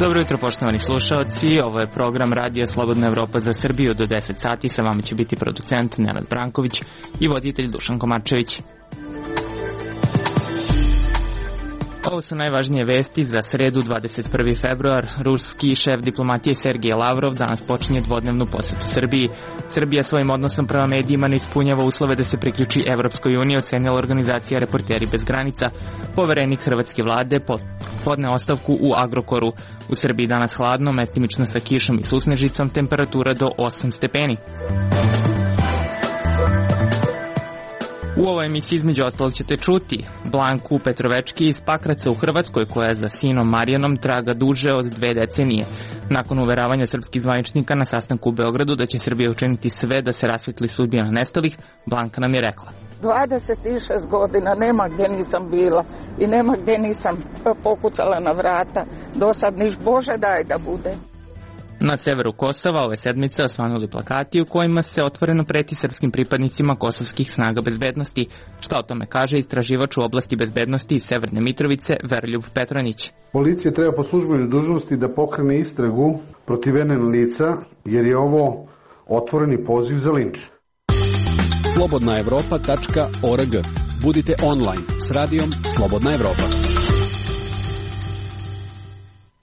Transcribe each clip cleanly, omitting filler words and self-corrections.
Dobro jutro, poštovani slušalci, ovo je program Radija Slobodna Evropa za Srbiju. Do 10 sati sa vama će biti producent Nenad Branković i voditelj Dušan Komarčević. Ovo su najvažnije vesti za sredu 21. februar. Ruski šef diplomatije Sergej Lavrov danas počinje dvodnevnu posetu Srbiji. Srbija svojim odnosom prema medijima ne ispunjava uslove da se priključi Evropskoj uniji, ocenila organizacija Reporteri bez granica. Poverenik hrvatske vlade podne ostavku u Agrokoru. U Srbiji danas hladno, mestimično sa kišom i susnežicom, temperatura do 8 stepeni. U ovoj emisiji između ostalog ćete čuti Blanku Petrovečki iz Pakraca u Hrvatskoj, koja za sinom Marijanom traga duže od 2 decenije. Nakon uveravanja srpskih zvaničnika na sastanku u Beogradu da će Srbija učiniti sve da se rasvetli sudbina nestalih, Blanka nam je rekla: 26 godina nema gdje nisam bila i nema gdje nisam pokucala na vrata. Do sad niš Bože daj da bude. Na severu Kosova ove sedmice osvanuli plakati u kojima se otvoreno preti srpskim pripadnicima kosovskih snaga bezbednosti. Šta o tome kaže istraživač u oblasti bezbednosti iz Severne Mitrovice Veroljub Petronić. Policija treba po službenoj dužnosti da pokrene istragu protiv NN lica, jer je ovo otvoreni poziv za linč. slobodnaevropa.org. Budite online s radijom Slobodna Evropa.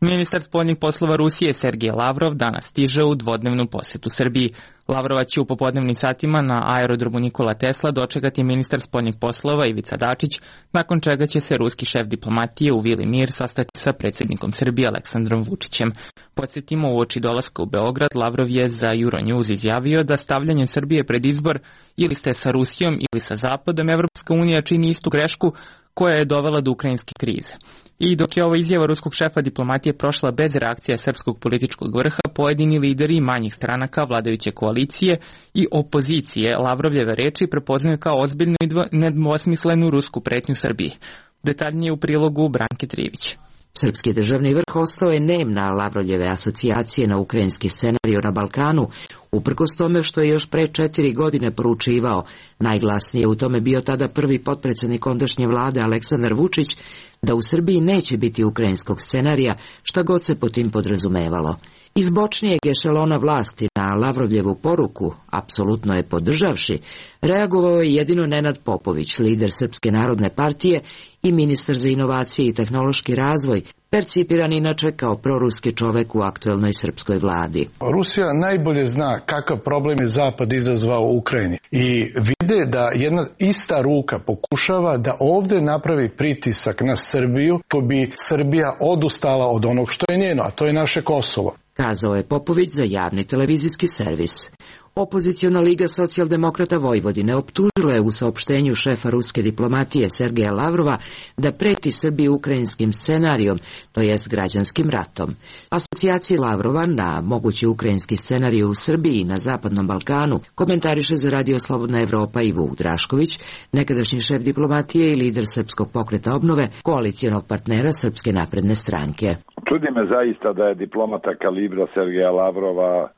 Ministar spoljnih poslova Rusije Sergej Lavrov danas stiže u dvodnevnu posetu Srbiji. Lavrova će u popodnevnim satima na aerodromu Nikola Tesla dočekati ministar spoljnih poslova Ivica Dačić, nakon čega će se ruski šef diplomatije u Vili Mir sastati sa predsjednikom Srbije Aleksandrom Vučićem. Podsjetimo, uoči dolaska u Beograd, Lavrov je za Euronews izjavio da stavljanjem Srbije pred izbor ili ste sa Rusijom ili sa Zapadom, Evropska unija čini istu grešku koja je dovela do ukrajinske krize. I dok je ova izjava ruskog šefa diplomatije prošla bez reakcija srpskog političkog vrha, pojedini lideri manjih stranaka vladajuće koalicije i opozicije Lavrovljeve reči prepoznaju kao ozbiljnu i nedvosmislenu rusku pretnju Srbiji. Detaljnije u prilogu Branke Trivić. Srpski državni vrh ostao je nem na Lavrovljeve asocijacije na ukrajinski scenariju na Balkanu, uprkos tome što je još pre 4 godine poručivao. Najglasnije u tome bio tada prvi potpredsjednik ondašnje vlade Aleksandar Vučić, da u Srbiji neće biti ukrajinskog scenarija, šta god se po tim podrazumevalo. Iz bočnijeg ešelona vlasti na Lavrovljevu poruku, apsolutno je podržavši, reagovao je jedino Nenad Popović, lider Srpske narodne partije i ministar za inovacije i tehnološki razvoj, percipiran inače kao proruski čovek u aktuelnoj srpskoj vladi. Rusija najbolje zna kakav problem je Zapad izazvao u Ukrajini i vide da jedna ista ruka pokušava da ovdje napravi pritisak na Srbiju, ko bi Srbija odustala od onog što je njeno, a to je naše Kosovo. Kazao je Popović za javni televizijski servis. Opoziciona liga socijaldemokrata Vojvodine optužila je u saopštenju šefa ruske diplomatije Sergeja Lavrova da preti Srbiji ukrajinskim scenarijom, to jest građanskim ratom. Asocijacija Lavrova na mogući ukrajinski scenarij u Srbiji i na Zapadnom Balkanu komentariše za Radio Slobodna Evropa i Vuk Drašković, nekadašnji šef diplomatije i lider Srpskog pokreta obnove, koalicijonog partnera Srpske napredne stranke. Čudi me zaista da je diplomata kalibra Sergeja Lavrova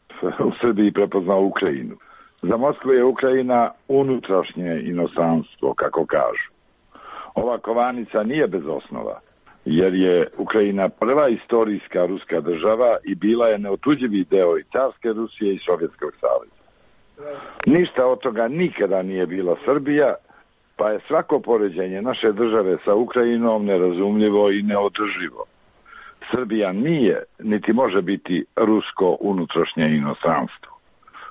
u Srbiji prepoznao Ukrajinu. Za Moskvu je Ukrajina unutrašnje inostranstvo, kako kažu. Ova kovanica nije bez osnova, jer je Ukrajina prva istorijska ruska država i bila je neotuđivi deo i carske Rusije i Sovjetskog saveza. Ništa od toga nikada nije bila Srbija, pa je svako poređenje naše države sa Ukrajinom nerazumljivo i neodrživo. Srbija nije, niti može biti rusko unutrašnje inostranstvo.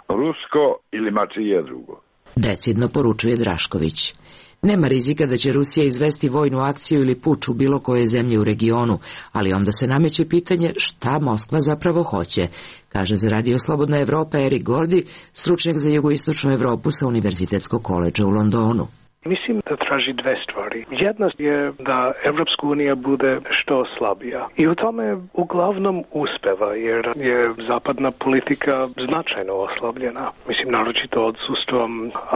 Rusko ili mačije drugo. Decidno poručuje Drašković. Nema rizika da će Rusija izvesti vojnu akciju ili puč u bilo koje zemlje u regionu, ali onda se nameće pitanje šta Moskva zapravo hoće, kaže za Radio Slobodna Evropa Erik Gordi, stručnjak za jugoistočnu Evropu sa Univerzitetskog koledža u Londonu. Mislim da traži 2 stvari. Jedna je da Evropska unija bude što slabija. I u tome uglavnom uspeva, jer je zapadna politika značajno oslabljena. Mislim, naročito odsustvom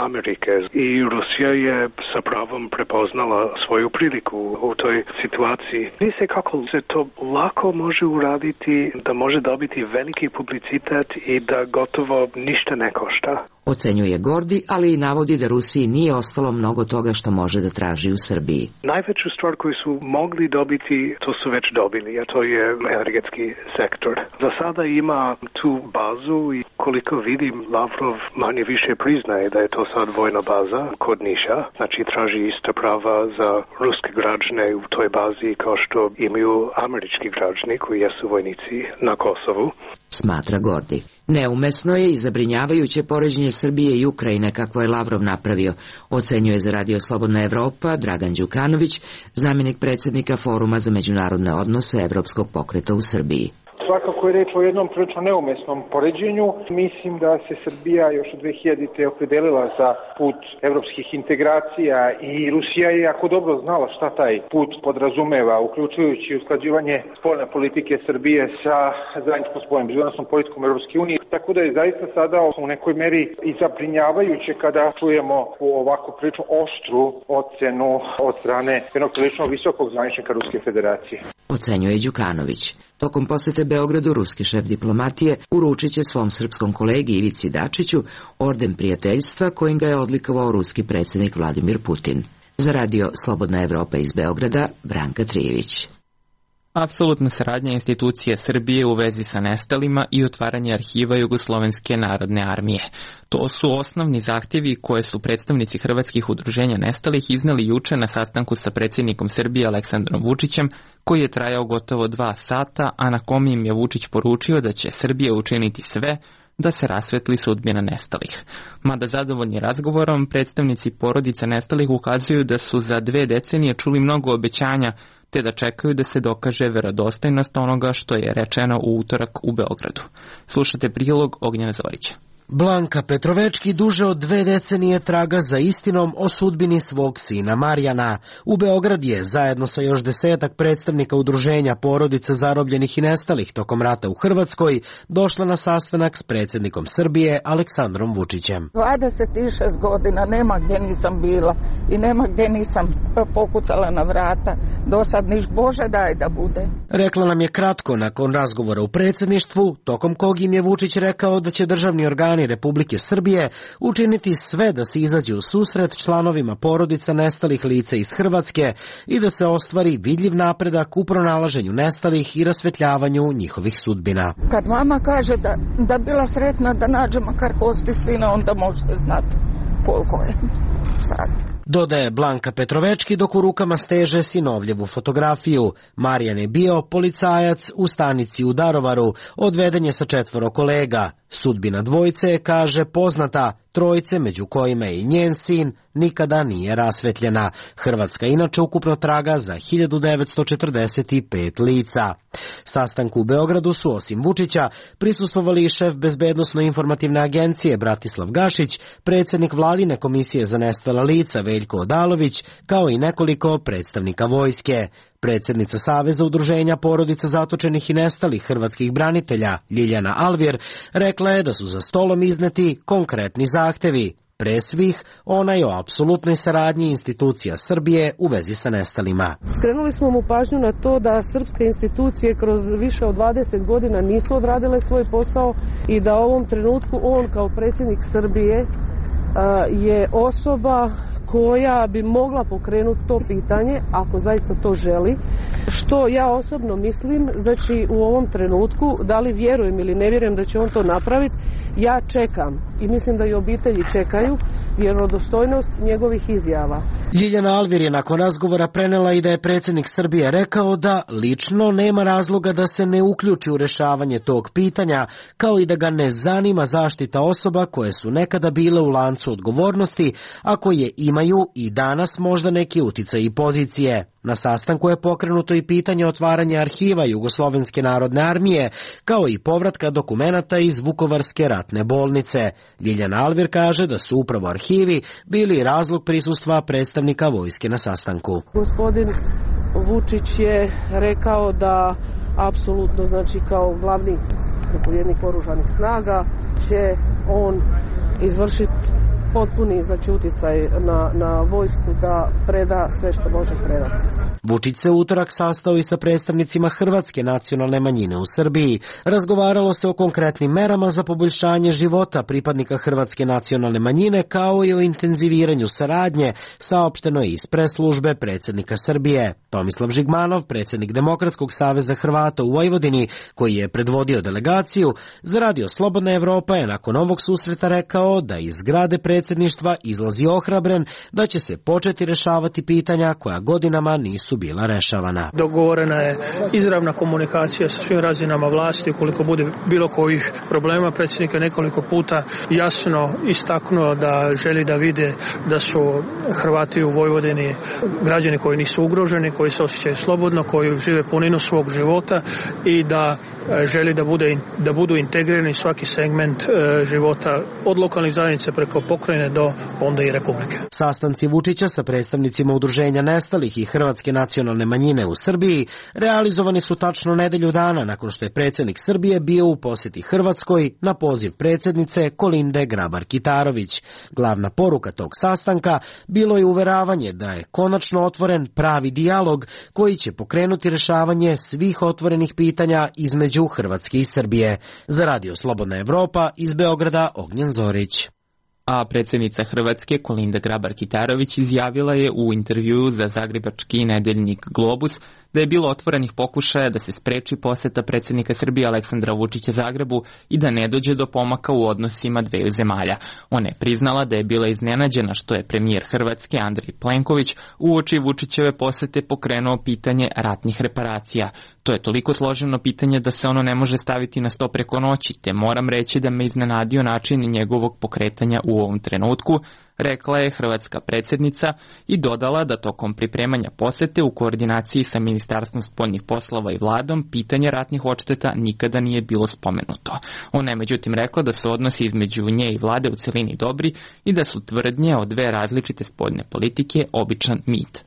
Amerike. I Rusija je sa pravom prepoznala svoju priliku u toj situaciji. Vidi se kako se to lako može uraditi, da može dobiti veliki publicitet i da gotovo ništa ne košta. Ocenjuje Gordi, ali i navodi da Rusiji nije ostalo mnogo toga što može da traži u Srbiji. Najveću stvar koju su mogli dobiti, to su već dobili, a to je energetski sektor. Za sada ima tu bazu i koliko vidim, Lavrov manje više priznaje da je to sad vojna baza kod Niša. Znači traži ista prava za ruske građane u toj bazi kao što imaju američki građani koji jesu vojnici na Kosovu. Smatra Gordi. Neumesno je i zabrinjavajuće poređenje Srbije i Ukrajine kako je Lavrov napravio, ocenjuje za Radio Slobodna Evropa Dragan Đukanović, zamjenik predsjednika Foruma za međunarodne odnose Evropskog pokreta u Srbiji. Svakako je reč o jednom prilično neumesnom poređenju. Mislim da se Srbija još od 2000-te opredelila za put evropskih integracija i Rusija je jako dobro znala šta taj put podrazumeva, uključujući usklađivanje spoljne politike Srbije sa zajedničkom spoljnom bezbednosnom politikom Evropske unije. Tako da je zaista sada u nekoj meri i zabrinjavajuće kada čujemo ovako prilično oštru ocenu od strane jednog prilično visokog zvaničnika Ruske federacije. Ocenjuje Đukanović. Tokom posete Beogradu ruski šef diplomatije uručit će svom srpskom kolegi Ivici Dačiću orden prijateljstva kojim ga je odlikovao ruski predsjednik Vladimir Putin. Za Radio Slobodna Evropa iz Beograda, Branka Trijević. Apsolutna saradnja institucije Srbije u vezi sa nestalima i otvaranje arhiva Jugoslovenske narodne armije. To su osnovni zahtjevi koje su predstavnici hrvatskih udruženja nestalih izneli juče na sastanku sa predsjednikom Srbije Aleksandrom Vučićem, koji je trajao gotovo 2 sata, a na kom im je Vučić poručio da će Srbija učiniti sve da se rasvetli sudbina nestalih. Mada zadovoljni razgovorom, predstavnici porodica nestalih ukazuju da su za 2 decenije čuli mnogo obećanja, te da čekaju da se dokaže verodostojnost onoga što je rečeno u utorak u Beogradu. Slušate prilog Ognjena Zorića. Blanka Petrovečki duže od 2 decenije traga za istinom o sudbini svog sina Marijana. U Beograd je, zajedno sa još 10-ak predstavnika udruženja porodica zarobljenih i nestalih tokom rata u Hrvatskoj, došla na sastanak s predsjednikom Srbije Aleksandrom Vučićem. 26 godina nema gdje nisam bila i nema gdje nisam pokucala na vrata. Do sad niš Bože daj da bude. Rekla nam je kratko nakon razgovora u predsjedništvu, tokom kog im je Vučić rekao da će državni organi Republike Srbije učiniti sve da se izađe u susret članovima porodica nestalih lica iz Hrvatske i da se ostvari vidljiv napredak u pronalaženju nestalih i rasvetljavanju njihovih sudbina. Kad mama kaže da bila sretna da nađe makar kosti sina, onda možete znati koliko je sad. Dodaje Blanka Petrovečki dok u rukama steže sinovljevu fotografiju. Marijan je bio policajac u stanici u Darovaru, odveden je sa 4 kolega. Sudbina dvojice je, kaže, poznata, trojice među kojima je i njen sin nikada nije rasvetljena. Hrvatska inače ukupno traga za 1945 lica. Sastanku u Beogradu su osim Vučića prisustvovali i šef Bezbednosno-informativne agencije Bratislav Gašić, predsjednik Vladine komisije za nestala lica Veljko Odalović, kao i nekoliko predstavnika vojske. Predsjednica Saveza udruženja porodica zatočenih i nestalih hrvatskih branitelja Ljiljana Alvir rekla je da su za stolom izneti konkretni zahtevi. Pre svih, onaj o apsolutnoj saradnji institucija Srbije u vezi sa nestalima. Skrenuli smo mu pažnju na to da srpske institucije kroz više od 20 godina nisu odradile svoj posao i da u ovom trenutku on kao predsjednik Srbije je osoba koja bi mogla pokrenuti to pitanje, ako zaista to želi, što ja osobno mislim, znači u ovom trenutku, da li vjerujem ili ne vjerujem da će on to napraviti, ja čekam i mislim da i obitelji čekaju vjerodostojnost njegovih izjava. Ljiljana Alvir je nakon razgovora prenela i da je predsjednik Srbije rekao da lično nema razloga da se ne uključi u rješavanje tog pitanja, kao i da ga ne zanima zaštita osoba koje su nekada bile u lancu odgovornosti, a koje imaju i danas možda neki uticaj i pozicije. Na sastanku je pokrenuto i pitanje otvaranja arhiva Jugoslovenske narodne armije, kao i povratka dokumenata iz Vukovarske ratne bolnice. Ljiljana Alvir kaže da su upravo arhivi bili razlog prisustva predstavnika vojske na sastanku. Gospodin Vučić je rekao da apsolutno, znači kao glavni zapovjednik oružanih snaga, će on izvršiti potpuni znači uticaj na vojsku da preda sve što može predati. Vučić se utorak sastao i sa predstavnicima hrvatske nacionalne manjine u Srbiji. Razgovaralo se o konkretnim merama za poboljšanje života pripadnika hrvatske nacionalne manjine kao i o intenziviranju saradnje, saopšteno je iz preslužbe predsjednika Srbije. Tomislav Žigmanov, predsjednik Demokratskog saveza Hrvata u Vojvodini, koji je predvodio delegaciju, za Radio Slobodna Evropa je nakon ovog susreta rekao da iz zgrade predsjedništva izlazi ohrabren da će se početi rešavati pitanja koja godinama nisu bila rešavana. Dogovorena je izravna komunikacija sa svim razinama vlasti. Ukoliko bude bilo kojih problema, predsjednik je nekoliko puta jasno istaknuo da želi da vide da su Hrvati u Vojvodini građani koji nisu ugroženi, koji se osjećaju slobodno, koji žive puninu svog života i da želi da budu integrirani svaki segment života od lokalnih zajednica preko pokrajine do onda i republike. Sastanci Vučića sa predstavnicima udruženja nestalih i hrvatske nacionalne manjine u Srbiji realizovani su tačno nedelju dana nakon što je predsjednik Srbije bio u posjeti Hrvatskoj na poziv predsjednice Kolinde Grabar-Kitarović. Glavna poruka tog sastanka bilo je uveravanje da je konačno otvoren pravi dijalog koji će pokrenuti rešavanje svih otvorenih pitanja između Hrvatske i Srbije. Za Radio Slobodna Evropa iz Beograda Ognjen Zorić. A predsjednica Hrvatske Kolinda Grabar-Kitarović izjavila je u intervjuu za zagrebački nedeljnik Globus da je bilo otvorenih pokušaja da se spreči poseta predsjednika Srbije Aleksandra Vučića Zagrebu i da ne dođe do pomaka u odnosima dveju zemalja. Ona je priznala da je bila iznenađena što je premijer Hrvatske Andrej Plenković uoči Vučićeve posete pokrenuo pitanje ratnih reparacija. To je toliko složeno pitanje da se ono ne može staviti na sto preko noći, te moram reći da me iznenadio način njegovog pokretanja u ovom trenutku, rekla je hrvatska predsjednica i dodala da tokom pripremanja posete u koordinaciji sa Ministarstvom spoljnih poslova i vladom pitanje ratnih odšteta nikada nije bilo spomenuto. Ona je međutim rekla da su odnosi između nje i vlade u celini dobri i da su tvrdnje o dve različite spoljne politike običan mit.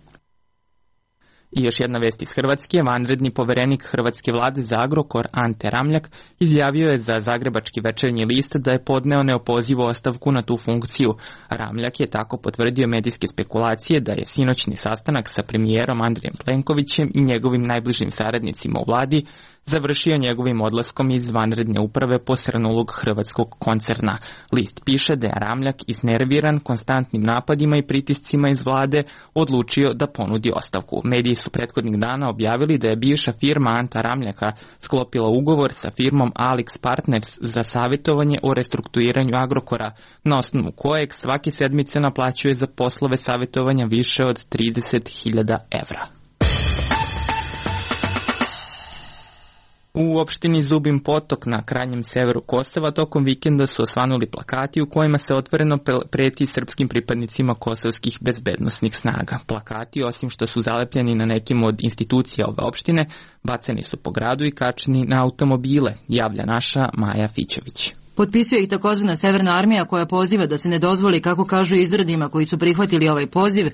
I još jedna vest iz Hrvatske, vanredni poverenik hrvatske vlade za Agrokor Ante Ramljak izjavio je za zagrebački Večernji list da je podneo neopozivu ostavku na tu funkciju. Ramljak je tako potvrdio medijske spekulacije da je sinoćni sastanak sa premijerom Andrejem Plenkovićem i njegovim najbližim saradnicima u vladi završio njegovim odlaskom iz vanredne uprave posrnulog hrvatskog koncerna. List piše da je Ramljak iznerviran konstantnim napadima i pritiscima iz vlade odlučio da ponudi ostavku. Mediji su prethodnih dana objavili da je bivša firma Anta Ramljaka sklopila ugovor sa firmom Alix Partners za savjetovanje o restrukturiranju Agrokora, na osnovu kojeg svake sedmice naplaćuje za poslove savjetovanja više od 30.000 evra. U opštini Zubin Potok na krajnjem severu Kosova tokom vikenda su osvanuli plakati u kojima se otvoreno preti srpskim pripadnicima kosovskih bezbednosnih snaga. Plakati, osim što su zalepljeni na nekim od institucija ove opštine, bacani su po gradu i kačeni na automobile, javlja naša Maja Fićević. Potpisuje ih takozvana Severna armija koja poziva da se ne dozvoli, kako kažu izradima koji su prihvatili ovaj poziv,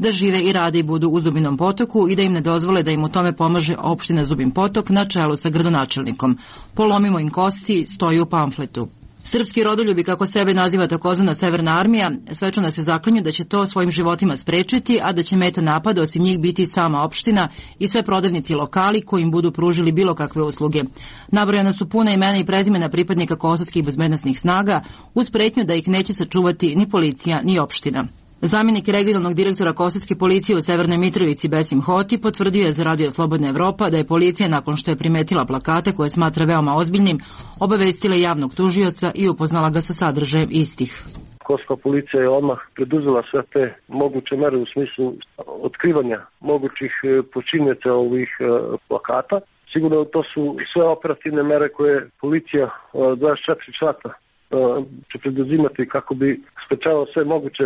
da žive i rade i budu u Zubinom Potoku i da im ne dozvole da im u tome pomaže opština Zubin Potok na čelu sa gradonačelnikom. Polomimo im kosti, stoji u pamfletu. Srpski rodoljubi, kako sebe naziva takozvana Severna armija, svečano se zaklinju da će to svojim životima sprečiti, a da će meta napada osim njih biti sama opština i sve prodavnici i lokali koji im budu pružili bilo kakve usluge. Nabrojana su puna imena i prezimena pripadnika kosovskih bezbednosnih snaga, uz pretnju da ih neće sačuvati ni policija ni opština. Zamjenik regionalnog direktora kosovske policije u Severnoj Mitrovici Besim Hoti potvrdio je za Radio Slobodna Evropa da je policija, nakon što je primetila plakate koje smatra veoma ozbiljnim, obavestila javnog tužioca i upoznala ga sa sadržajem istih. Kosovska policija je odmah preduzela sve te moguće mere u smislu otkrivanja mogućih počinioca ovih plakata. Sigurno to su sve operativne mere koje policija 24 sata će preduzimati kako bi sprečavao sve moguće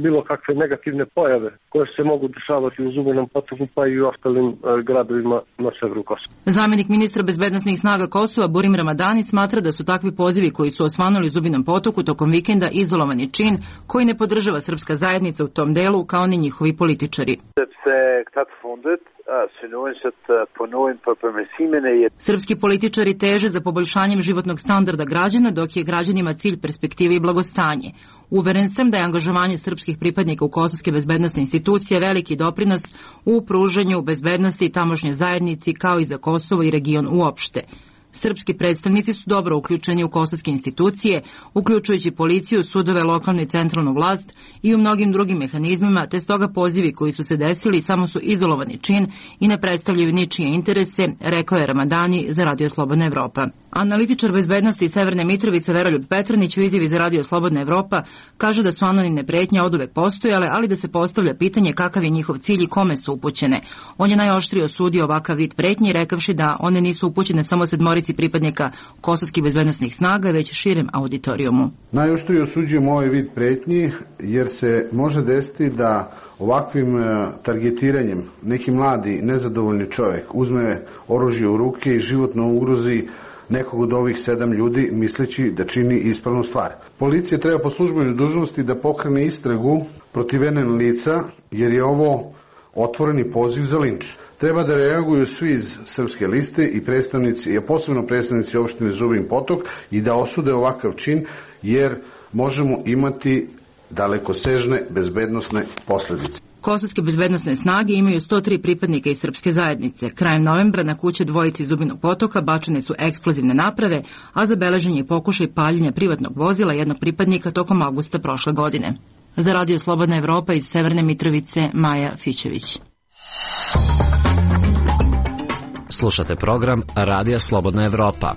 bilo kakve negativne pojave koje se mogu dešavati u Zubinom Potoku pa i u ostalim gradovima na severu Kosova. Zamjenik ministra bezbednosnih snaga Kosova Burim Ramadani smatra da su takvi pozivi koji su osvanuli u Zubinom Potoku tokom vikenda izolovani čin koji ne podržava srpska zajednica u tom delu kao ni njihovi političari. Srpski političari teže za poboljšanjem životnog standarda građana, dok je građanima cilj perspektive i blagostanje. Uveren sam da je angažovanje srpskih pripadnika u kosovske bezbednosne institucije veliki doprinos u pružanju bezbednosti tamošnje zajednici kao i za Kosovo i region uopšte. Srpski predstavnici su dobro uključeni u kosovske institucije, uključujući policiju, sudove, lokalnu i centralnu vlast i u mnogim drugim mehanizmima, te stoga pozivi koji su se desili samo su izolovani čin i ne predstavljaju ničije interese, rekao je Ramadani za Radio Slobodna Evropa. Analitičar bezbednosti Severne Mitrovice Veroljub Petronić u izjavi za Radio Slobodna Evropa kaže da su anonimne pretnje oduvek postojale, ali da se postavlja pitanje kakav je njihov cilj i kome su upućene. On je najoštrije osudio ovakav vid pretnji, rekavši da one nisu upućene samo sedmorici pripadnika kosovskih bezbednosnih snaga, već širem auditorijumu. Najoštrije osuđujemo ovaj vid pretnji jer se može desiti da ovakvim targetiranjem neki mladi, nezadovoljni čovjek uzme oružje u ruke i životno ugrozi nekog od ovih 7 ljudi misleći da čini ispravnu stvar. Policija treba po službenoj dužnosti da pokrene istragu protiv NN lica jer je ovo otvoreni poziv za linč. Treba da reaguju svi iz Srpske liste i predstavnici, a posebno predstavnici opštine Zubin Potok i da osude ovakav čin jer možemo imati dalekosežne bezbednosne posledice. Kosovske bezbednosne snage imaju 103 pripadnika iz srpske zajednice. Krajem novembra na kuće dvojici Zubinog Potoka bačene su eksplozivne naprave, a zabeležen je pokušaj paljenja privatnog vozila jednog pripadnika tokom avgusta prošle godine. Za Radio Slobodna Evropa iz Severne Mitrovice, Maja Fićević. Slušate program Radija Slobodna Evropa.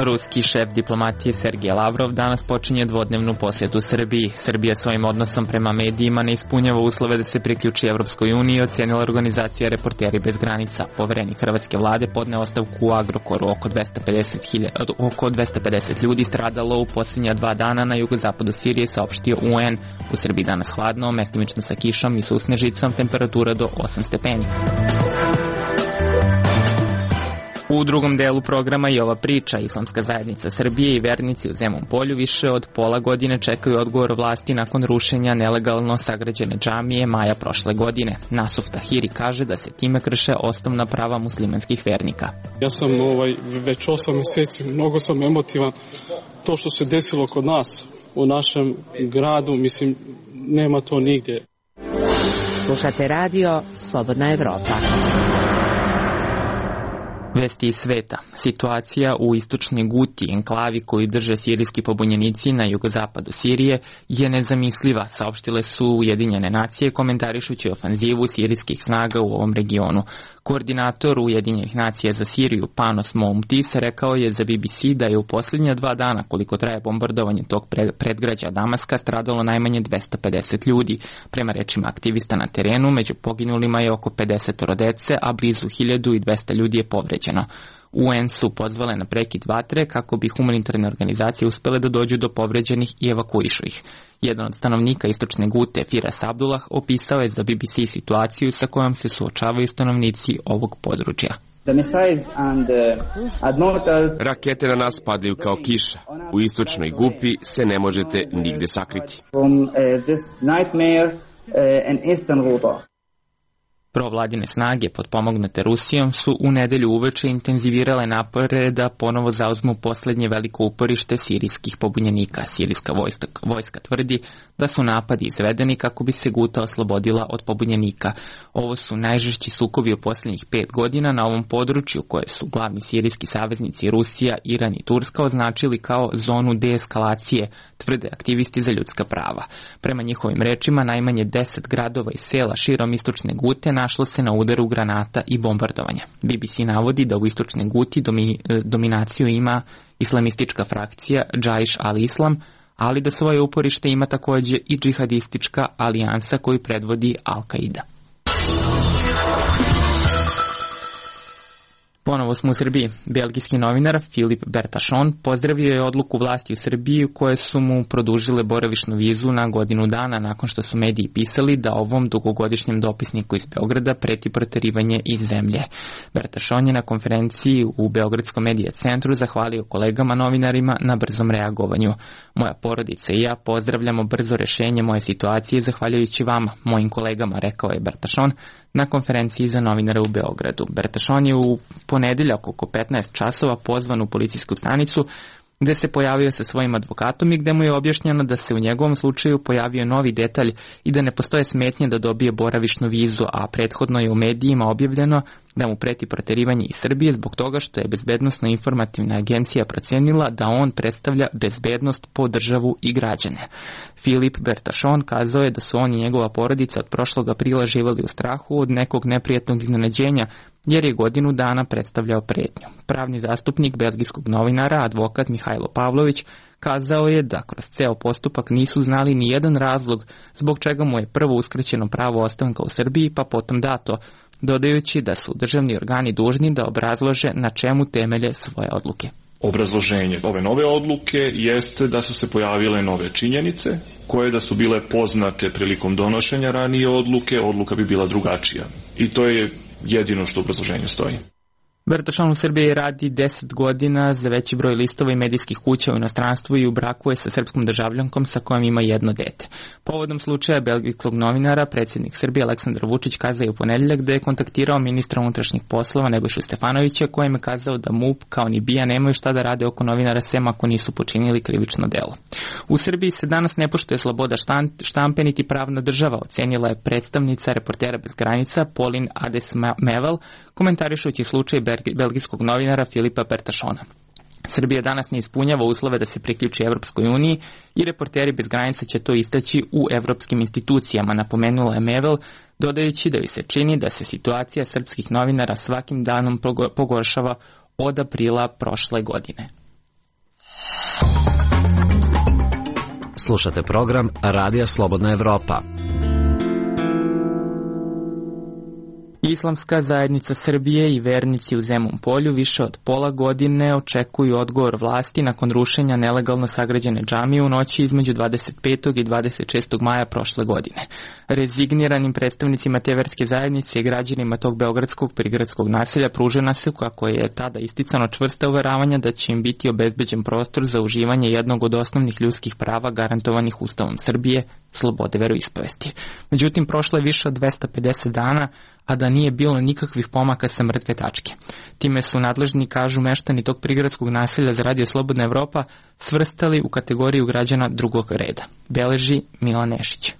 Ruski šef diplomatije Sergej Lavrov danas počinje dvodnevnu posjetu Srbiji. Srbija svojim odnosom prema medijima ne ispunjava uslove da se priključi Evropskoj uniji, ocenila organizacija Reporteri bez granica. Poverenik hrvatske vlade podneo ostavku u Agrokoru. Oko 250 ljudi stradalo u posljednja 2 dana na jugozapadu Sirije, saopštio UN. U Srbiji danas hladno, mestimično sa kišom i susnežicom, temperatura do 8 stepeni. U drugom delu programa i ova priča. Islamska zajednica Srbije i vernici u Zemun Polju više od pola godine čekaju odgovor vlasti nakon rušenja nelegalno sagrađene džamije maja prošle godine. Nasuf Tahiri kaže da se time krše osnovna prava muslimanskih vernika. Ja sam već 8 mjeseci, mnogo sam emotivan. To što se desilo kod nas u našem gradu, mislim, nema to nigdje. Slušate Radio Slobodna Evropa. Vesti iz sveta. Situacija u istočnoj Guti, enklavi koju drže sirijski pobunjenici na jugozapadu Sirije, je nezamisliva, saopštile su Ujedinjene nacije komentarišući ofanzivu sirijskih snaga u ovom regionu. Koordinator Ujedinjenih nacija za Siriju, Panos Moumtis, rekao je za BBC da je u posljednja 2 dana, koliko traje bombardovanje tog predgrađa Damaska, stradalo najmanje 250 ljudi. Prema rečima aktivista na terenu, među poginulima je oko 50 dece, a blizu 1200 ljudi je povređeno. UN su pozvale na prekid vatre kako bi humanitarne organizacije uspele da dođu do povređenih i evakuišu ih. Jedan od stanovnika istočne Gute, Firas Abdullah, opisao je za BBC situaciju sa kojom se suočavaju stanovnici ovog područja. Rakete na nas padaju kao kiša. U istočnoj Gupi se ne možete nigde sakriti. Provladine snage potpomognute Rusijom su u nedelju uveče intenzivirale napore da ponovo zauzmu posljednje veliko uporište sirijskih pobunjenika. Sirijska vojska tvrdi da su napadi izvedeni kako bi se Guta oslobodila od pobunjenika. Ovo su najžešći sukobi u posljednjih 5 godina na ovom području koje su glavni sirijski saveznici Rusija, Iran i Turska označili kao zonu deeskalacije, tvrde aktivisti za ljudska prava. Prema njihovim rečima, najmanje 10 gradova i sela širom istočne Gute našlo se na udaru granata i bombardovanja. BBC navodi da u istočnoj Guti dominaciju ima islamistička frakcija Džaiš al-Islam, ali da svoje uporište ima također i džihadistička alijansa koju predvodi Al-Qaida. Ponovo smo u Srbiji. Belgijski novinar Filip Bertašon pozdravio je odluku vlasti u Srbiji koje su mu produžile boravišnu vizu na godinu dana nakon što su mediji pisali da ovom dugogodišnjem dopisniku iz Beograda preti proterivanje iz zemlje. Bertašon je na konferenciji u Beogradskom medija centru zahvalio kolegama novinarima na brzom reagovanju. Moja porodica i ja pozdravljamo brzo rešenje moje situacije zahvaljujući vama, mojim kolegama, rekao je Bertašon na konferenciji za novinare u Beogradu. Bertašon je u ponedeljak oko 15 časova pozvan u policijsku stanicu gde se pojavio sa svojim advokatom i gde mu je objašnjeno da se u njegovom slučaju pojavio novi detalj i da ne postoje smetnje da dobije boravišnu vizu, a prethodno je u medijima objavljeno da mu preti proterivanje iz Srbije zbog toga što je Bezbednosno-informativna agencija procenila da on predstavlja bezbednost po državu i građane. Filip Bertašon kazao je da su on i njegova porodica od prošlog aprila živali u strahu od nekog neprijatnog iznenađenja, jer je godinu dana predstavljao pretnju. Pravni zastupnik belgijskog novinara, advokat Mihajlo Pavlović, kazao je da kroz ceo postupak nisu znali ni jedan razlog zbog čega mu je prvo uskraćeno pravo ostanka u Srbiji, pa potom dato, dodajući da su državni organi dužni da obrazlože na čemu temelje svoje odluke. Obrazloženje ove nove odluke jeste da su se pojavile nove činjenice, koje da su bile poznate prilikom donošenja ranije odluke, odluka bi bila drugačija. I to je jedino što u obrazloženju stoji. Bertašon u Srbiji radi 10 godina za veći broj listova i medijskih kuća u inostranstvu i u braku je sa srpskom državljankom sa kojom ima jedno dete. Povodom slučaja belgijskog novinara, predsjednik Srbije Aleksandar Vučić kazao je u ponedeljak da je kontaktirao ministra unutrašnjih poslova Nebojšu Stefanovića, kojem je kazao da MUP kao ni BIA nemaju šta da rade oko novinara sem ako nisu počinili krivično delo. U Srbiji se danas ne poštuje sloboda štampe niti pravna država, ocenila je predstavnica Reportera bez granica Pauline Ades-Mevel, komentarišući slučaj belgijskog novinara Filipa Bertašona. Srbija danas ne ispunjava uslove da se priključi Evropskoj uniji i Reporteri bez granica će to istaći u evropskim institucijama, napomenula je Mevel, dodajući da joj se čini da se situacija srpskih novinara svakim danom pogoršava od aprila prošle godine. Slušate program Radija Slobodna Evropa. Islamska zajednica Srbije i vernici u Zemun Polju više od pola godine očekuju odgovor vlasti nakon rušenja nelegalno sagrađene džamije u noći između 25. i 26. maja prošle godine. Rezigniranim predstavnicima te verske zajednice i građanima tog beogradskog prigradskog naselja pružena se, kako je tada isticano, čvrsta uveravanja da će im biti obezbeđen prostor za uživanje jednog od osnovnih ljudskih prava garantovanih Ustavom Srbije, slobode veroispovesti. Međutim, prošlo je više od 250 dana, a da nije bilo nikakvih pomaka sa mrtve tačke. Time su nadležni, kažu meštani tog prigradskog naselja za Radio Slobodna Evropa, svrstali u kategoriju građana drugog reda. Beleži Milan Nešić.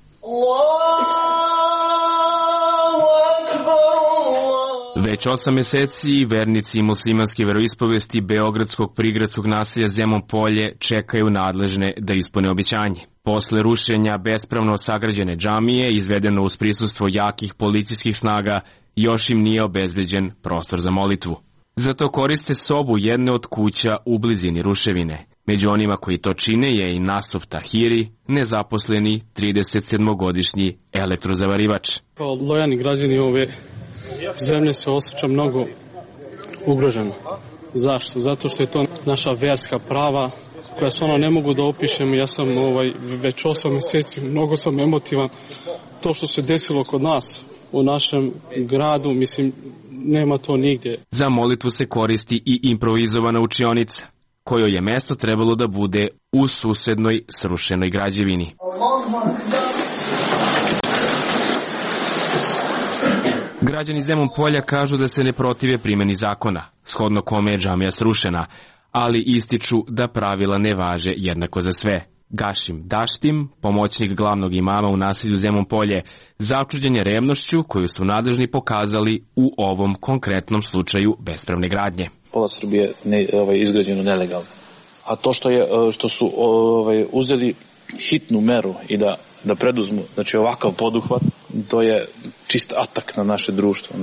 Već 8 meseci vernici muslimanske veroispovesti beogradskog prigradskog naselja Zemun Polje čekaju nadležne da ispune obećanje. Posle rušenja bespravno sagrađene džamije, izvedeno uz prisustvo jakih policijskih snaga, još im nije obezbeđen prostor za molitvu. Zato koriste sobu jedne od kuća u blizini ruševine. Među onima koji to čine je i Nasov Tahiri, nezaposleni 37-godišnji elektrozavarivač. Kao lojani građani ove zemlje se osjeća mnogo ugroženo. Zašto? Zato što je to naša verska prava koja stvarno ne mogu da opišem. Ja sam već 8 meseci, mnogo sam emotivan. To što se desilo kod nas u našem gradu, mislim, nema to nigdje. Za molitvu se koristi i improvizovana učionica, kojoj je mesto trebalo da bude u susednoj srušenoj građevini. Građani Zemun Polja kažu da se ne protive primjeni zakona, shodno kome je džamija srušena, ali ističu da pravila ne važe jednako za sve. Gašim Daštim, pomoćnik glavnog imama u naselju Zemun Polje, začuđen je revnošću koju su nadležni pokazali u ovom konkretnom slučaju bespravne gradnje. Pola Srbije izgrađeno nelegalno. A to što su uzeli hitnu meru i da preduzmu, znači ovakav poduhvat, to je čist atak na naše društvo,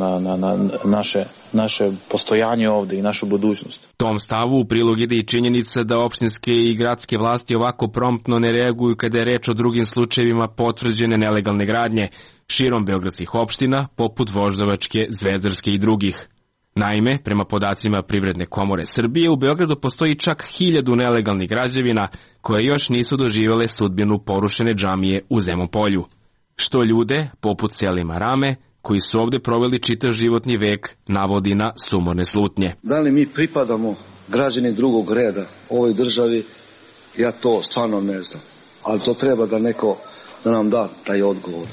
na naše postojanje ovde i našu budućnost. Tom stavu u prilog ide i činjenica da opštinske i gradske vlasti ovako promptno ne reaguju kada je reč o drugim slučajevima potvrđene nelegalne gradnje širom beogradskih opština, poput Voždovačke, Zvezdarske i drugih. Naime, prema podacima Privredne komore Srbije, u Beogradu postoji čak 1000 nelegalnih građevina koje još nisu doživjele sudbinu porušene džamije u Zemun Polju. Što ljude, poput Selima Rame, koji su ovde proveli čitav životni vek, navodi na sumorne slutnje. Da li mi pripadamo građani drugog reda ovoj državi, ja to stvarno ne znam. Ali to treba da neko da nam da taj odgovor.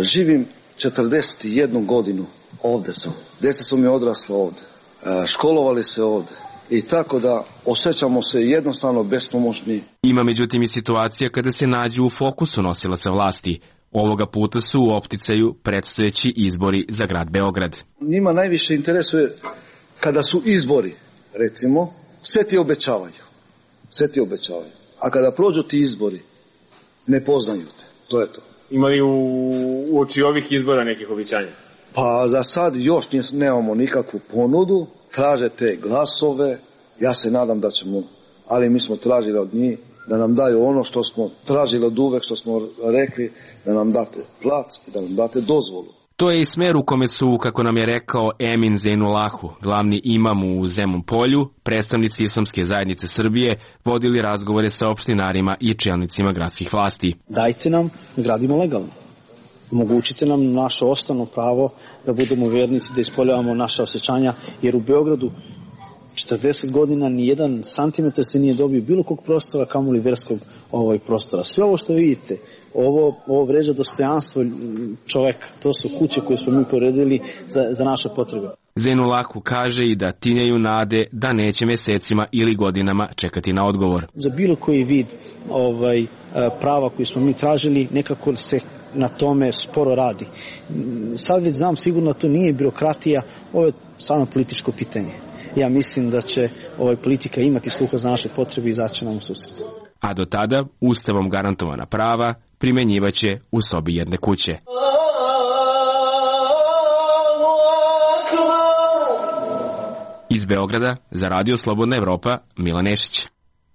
Živim 41 godinu. Ovde sam. Djeca su mi odrasla ovde. Školovali se ovde. i tako da osjećamo se jednostavno bespomoćni. Ima međutim i situacija kada se nađu u fokusu nosilaca vlasti. Ovoga puta su u opticaju predstojeći izbori za grad Beograd. Njima najviše interesuje kada su izbori, recimo, sve ti obećavaju. A kada prođu ti izbori, ne poznaju te. To je to. Ima li u oči ovih izbora nekih obećanja? Pa za sad još nemamo nikakvu ponudu, traže te glasove, ja se nadam da ćemo, ali mi smo tražili od njih da nam daju ono što smo tražili od uvek, što smo rekli, da nam date plac i da nam date dozvolu. To je i smer u kome su, kako nam je rekao Emin Zejnulahu, glavni imam u Zemun Polju, predstavnici Islamske zajednice Srbije, vodili razgovore sa opštinarima i čelnicima gradskih vlasti. Dajte nam da gradimo legalno. Omogućite nam naše osnovno pravo da budemo vernici, da ispoljavamo naše osjećanja, jer u Beogradu 40 godina ni jedan santimetar se nije dobio bilo kog prostora, kamoli verskog prostora. Sve ovo što vidite, ovo vređa dostojanstvo čoveka. To su kuće koje smo mi poredili za naše potrebe. Zejnulahu kaže i da tinjaju nade da neće mesecima ili godinama čekati na odgovor. Za bilo koji vid prava koji smo mi tražili, nekako se na tome sporo radi. Sad već znam sigurno to nije birokratija, ovo je stvarno političko pitanje. Ja mislim da će politika imati sluha za naše potrebe i izaći nam u susret. A do tada, ustavom garantovana prava primenjivaće u sobi jedne kuće. Iz Beograda, za Radio Slobodna Evropa, Milan Nešić.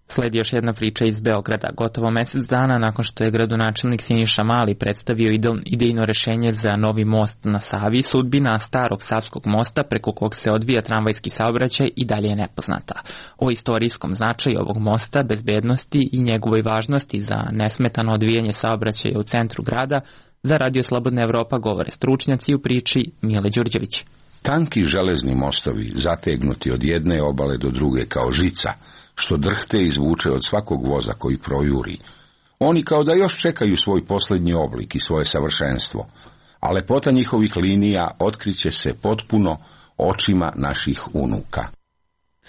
Sledi još jedna priča iz Beograda. Gotovo mesec dana nakon što je gradonačelnik Siniša Mali predstavio idejno rešenje za novi most na Savi, sudbina starog Savskog mosta preko kog se odvija tramvajski saobraćaj i dalje je nepoznata. O istorijskom značaju ovog mosta, bezbednosti i njegovoj važnosti za nesmetano odvijanje saobraćaja u centru grada, za Radio Slobodna Evropa govore stručnjaci u priči Mile Đurđević. Tanki železni mostovi, zategnuti od jedne obale do druge kao žica, što drhte izvuče od svakog voza koji projuri. Oni kao da još čekaju svoj posljednji oblik i svoje savršenstvo, a lepota njihovih linija otkriće se potpuno očima naših unuka.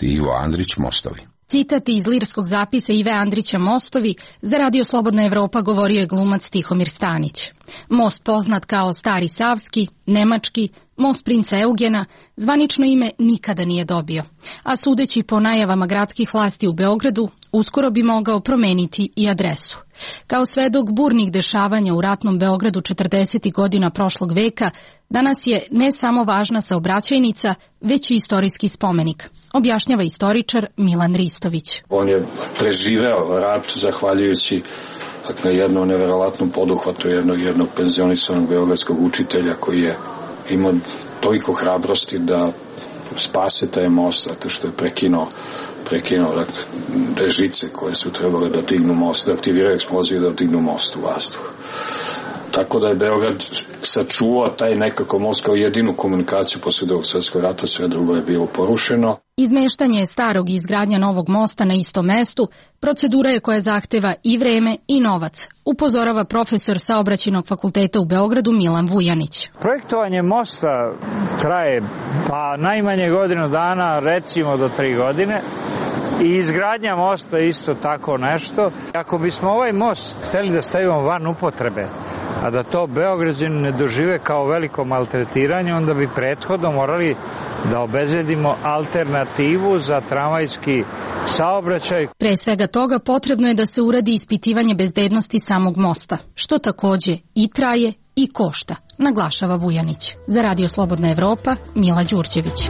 Ivo Andrić, Mostovi. Citat iz lirskog zapisa Ive Andrića Mostovi za Radio Slobodna Evropa govorio je glumac Tihomir Stanić. Most poznat kao Stari Savski, nemački, most princa Eugena, zvanično ime nikada nije dobio, a sudeći po najavama gradskih vlasti u Beogradu, uskoro bi mogao promeniti i adresu. Kao svedok burnih dešavanja u ratnom Beogradu 40. godina prošlog veka, danas je ne samo važna saobraćajnica, već i istorijski spomenik, objašnjava istoričar Milan Ristović. On je preživeo rat zahvaljujući jednom neverovatnom poduhvatu jednog penzionisanog beogradskog učitelja koji je imao toliko hrabrosti da spase taj most, zato što je prekinuo žice koje su trebale da dignu most, da aktiviraju eksploziju, da dignu most u vazduh. Tako da je Beograd sačuvao taj nekako most kao jedinu komunikaciju posle Drugog svjetskog rata, sve drugo je bilo porušeno. Izmeštanje starog i izgradnja novog mosta na istom mestu procedura je koja zahteva i vreme i novac, upozorava profesor Saobraćajnog fakulteta u Beogradu Milan Vujanić. Projektovanje mosta traje najmanje godinu dana, recimo do 3 godine. I izgradnja mosta isto tako nešto. Ako bismo ovaj most hteli da stavimo van upotrebe, a da to Beograđani ne dožive kao veliko maltretiranje, onda bi prethodno morali da obezbedimo alternativu za tramvajski saobraćaj. Pre svega toga potrebno je da se uradi ispitivanje bezbednosti samog mosta, što takođe i traje i košta, naglašava Vujanić. Za Radio Slobodna Evropa, Mila Đurđević.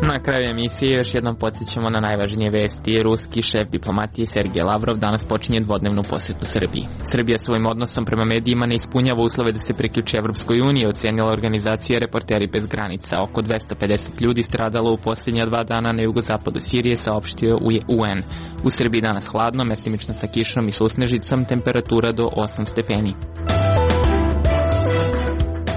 Na kraju emisije još jednom podsjećamo na najvažnije vesti. Ruski šef diplomatije Sergej Lavrov danas počinje dvodnevnu posetu Srbiji. Srbija svojim odnosom prema medijima ne ispunjava uslove da se priključi Evropskoj uniji, ocenila organizacija Reporteri bez granica. Oko 250 ljudi stradalo u posljednja 2 dana na jugozapadu Sirije, saopštio UN. U Srbiji danas hladno, mestimično sa kišom i susnežicom, temperatura do 8 stepeni.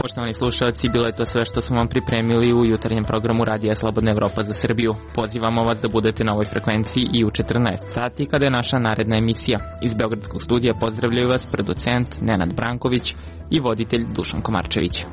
Poštovani slušalci, bilo je to sve što smo vam pripremili u jutarnjem programu Radija Slobodna Evropa za Srbiju. Pozivamo vas da budete na ovoj frekvenciji i u 14 sati kada je naša naredna emisija. Iz Beogradskog studija pozdravljaju vas producent Nenad Branković i voditelj Dušan Komarčević.